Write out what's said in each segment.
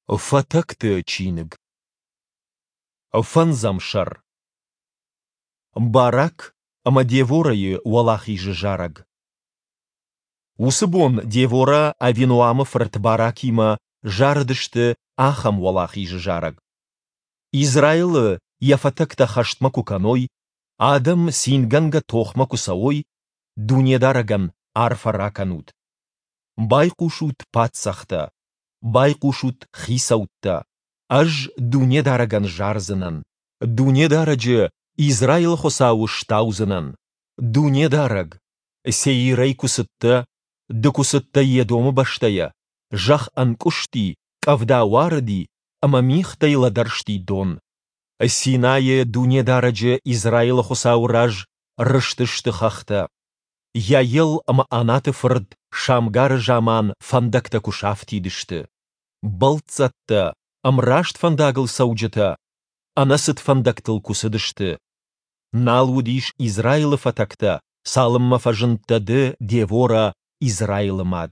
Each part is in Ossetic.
Фатӕгты чиныг. Фӕндзӕм сӕр. Барак ӕмӕ Деворӕйы уӕлахизы зарӕг. Уыцы бон Деворӕ Авиноамы фырт Баракимӕ зарыдысты ахӕм уӕлахизы зарӕг. Израилы йӕ фатӕгтӕ хӕстмӕ куы кӕной, адӕм цингӕнгӕ тохмӕ куы цӕуой, Дунедарӕгӕн арфӕ ракӕнут. Байхъусут, паддзӕхтӕ! Байхъусут, хицӕуттӕ! Ӕз Дунедарӕгӕн зардзынӕн, Дунедарӕджы, Израилы Хуыцауы, стаудзынӕн. Дунедарӕг, Сеирӕй куы цыдтӕ, Ды куы цыдтӕ Едомы бӕстӕйӕ, зӕхх ӕнкъуысти, къӕвда уарыди ӕмӕ мигътӕй лӕдӕрсти дон. Синайы Дунедарӕджы, Израилы Хуыцауы раз рызтысты хӕхтӕ. Йаел ӕмӕ Анаты фырт Шамгары заман фӕндӕгтӕ куы сафтид сты. Бӕлццӕттӕ, ӕмраст фӕндагыл цӕуджытӕ, ӕнӕцыд фӕндӕгтыл куы цыдысты. Нал уыдис Израилы фӕтӕгтӕ, цалынмӕ фӕзындтӕ ды, Деворӕ, Израилы мад.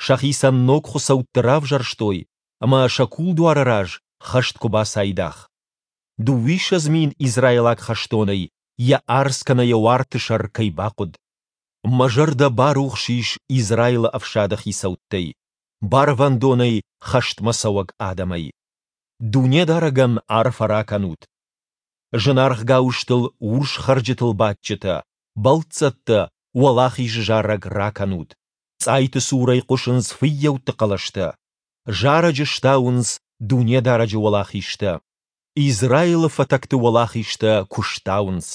Сӕхицӕн ног хуыцӕутты равзӕрстой, ӕмӕ сӕ кулдуары раз хӕст куы бацайдагъ. 22 000 израилаг хӕстонӕй йӕ арц кӕнӕ йӕ уарты сӕр кӕй бахъуыд. Мӕ зӕрдӕ барухс ис Израилы ӕфсады хицӕуттӕй, барвӕндонӕй хӕстмӕ цӕуӕг адӕмӕй. Дунедарӕгӕн арфӕ ракӕнут! Зынаргъ гауызтыл урс хӕрджытыл бадджытӕ, бӕлццӕттӕ, уӕлахизы зарӕг ракӕнут! Цъайты цурӕй хъуысынц фыййӕутты хъӕлӕстӕ, зарӕджы стауынц Дунедарӕджы уӕлахизтӕ. Израилы фӕтӕгты уӕлахизтӕ куы стауынц.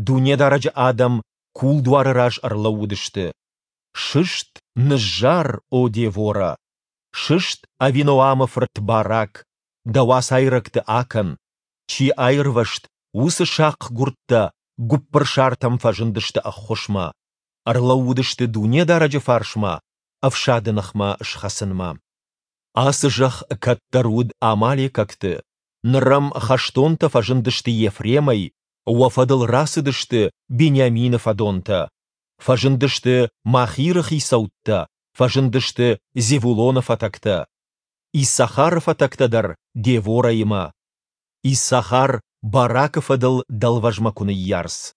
Дунедарӕджы адӕм кулдуары раз ӕрлӕууыдысты. Сыст, ныззар, о Деворӕ! Сыст, Авиноамы фырт Барак, дӕ уацайрӕгты акӕн! Чи аирвӕзт, уыцы сахъгуырдтӕ гуыппырсартӕм фӕзындысты ӕххуысмӕ, ӕрлӕууыдысты Дунедарӕджы фарсмӕ ӕфсады ныхмӕ схӕцынмӕ. Ацы зӕхх кӕддӕр уыд амалекӕгты, ныр ӕм хӕстонтӕ фӕзындысты Ефремӕй, уӕ фӕдыл рацыдысты Бениамины фӕдонтӕ. Фӕзындысты Махиры хицӕуттӕ, фӕзындысты Зевулоны фӕтӕгтӕ. Иссахары фӕтӕгтӕ дӕр Деворӕимӕ. Иссахар Баракы фӕдыл дӕлвӕзмӕ куы ныййарц.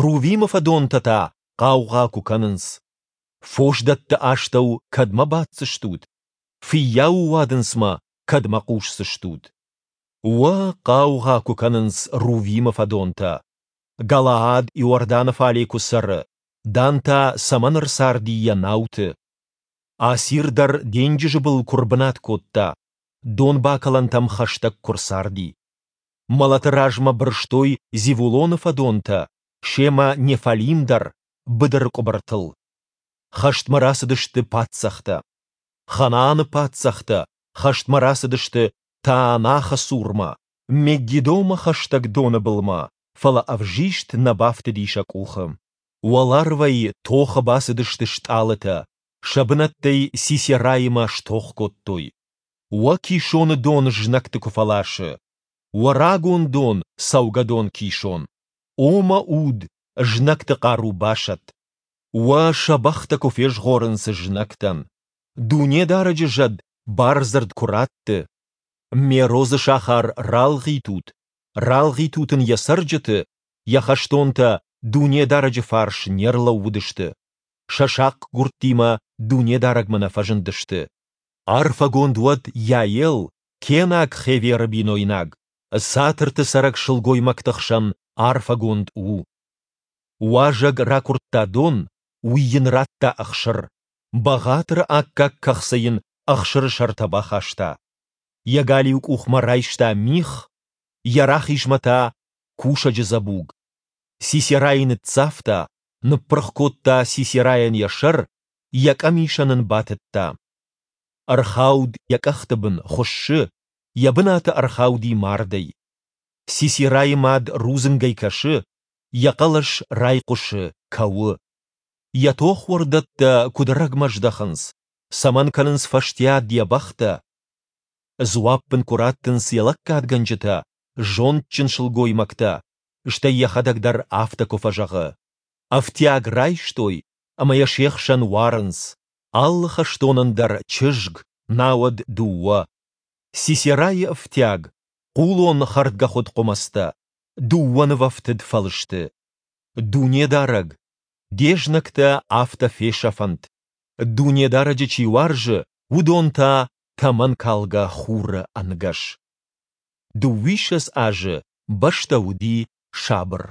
Рувимы фӕдонтӕ та хъаугъа куы кӕнынц. Фосдӕтты астӕу кӕдмӕ баддзыстут? Фыййауы уадындзмӕ кӕдмӕ хъусдзыстут? Уӕ, хъаугъа куы кӕнынц Рувимы фӕдонтӕ! Галаад Иорданы фале куы цӕры, Дан та цӕмӕн ӕрцарди йӕ науты? Асир дӕр денджызы был куы рбынат кодта, донбакӕлӕнтӕм хӕстӕг куы рцарди. Мӕлӕты размӕ бырстой Зевулоны фӕдонтӕ, семӕ Неффалим дӕр, быдыры къуыбыртыл. Хӕстмӕ рацыдысты паддзӕхтӕ. Ханааны паддзӕхтӕ хӕстмӕ рацыдысты Таанахы цурмӕ, Меггидомӕ хӕстӕг доны былмӕ, фӕлӕ ӕвзист нӕ бафтыди сӕ къухы. Уӕларвӕй тохы бацыдысты стъалытӕ, сӕ бынӕттӕй Сисераимӕ стох кодтой. Уӕ Кисоны дон знӕгты куы фӕласы, уӕ рагон дон, цӕугӕдон Кисон, о мӕ уд, знӕгты хъару басӕтт. Уӕ сӕ бӕхтӕ куы фезгъорынц знӕгтӕн. Дунедарӕджы зӕд бардзырд куы ратты. Мерозы сахар ралгъитут, ралгъитут ын йӕ цӕрджыты, йӕ хӕстонтӕ Дунедарӕджы фарс не рлӕууыдысты, сӕ сахъгуырдтимӕ Дунедарӕгмӕ нӕ фӕзындысты. Арфӕгонд уӕд Йаел, кенаг Хеверы бинойнаг, Цатырты цӕрӕг сылгоймӕгты хсӕн арфӕгонд у. Уазӕг ракуырдта дон, уый йын радта ӕхсыр, бӕгъатыры аккаг кӕхцы йын ӕхсыры сӕртӕ бахаста. Йӕ галиу къухмӕ райста мих, йӕ рахизмӕ та кусӕджы дзӕбуг. Сисерайы ныццавта, ныппырх кодта Сисерайӕн йӕ сӕр, йӕ къӕмисӕн ын батыдта. Ӕрхауд йӕ къӕхты бын, хуыссы, йӕ бынаты ӕрхауди мардӕй. Сисерайы мад рудзынгӕй кӕсы, йӕ хъӕлӕс райхъуысы, кӕуы. Йӕ тохуӕрдӕттӕ куыд ӕрӕгмӕ здӕхынц, цӕмӕн кӕнынц фӕстиат йӕ бӕхтӕ? Дзуапп ын куы раттынц йӕ лӕггадгӕнджытӕ, зондджын сылгоймӕгтӕ, стӕй йӕхӕдӕг дӕр афтӕ куы фӕзӕгъы: Ӕфтиаг райстой ӕмӕ йӕ се хсӕн уарынц, алы хӕстонӕн дӕр чызг. науӕд дыууӕ. Сисерайы ӕфтиаг, хъулон хӕрдгӕхуыд хъуымӕцтӕ, дыууӕ нывӕфтыд фӕлысты. Дунедарӕг, де знӕгтӕ афтӕ фесӕфӕнт, Дунедарӕджы чи уарзы, уыдон та тӕмӕнкалгӕ хуры ӕнгӕс. Дыууиссӕдз азы бӕстӕ уыди сабыр.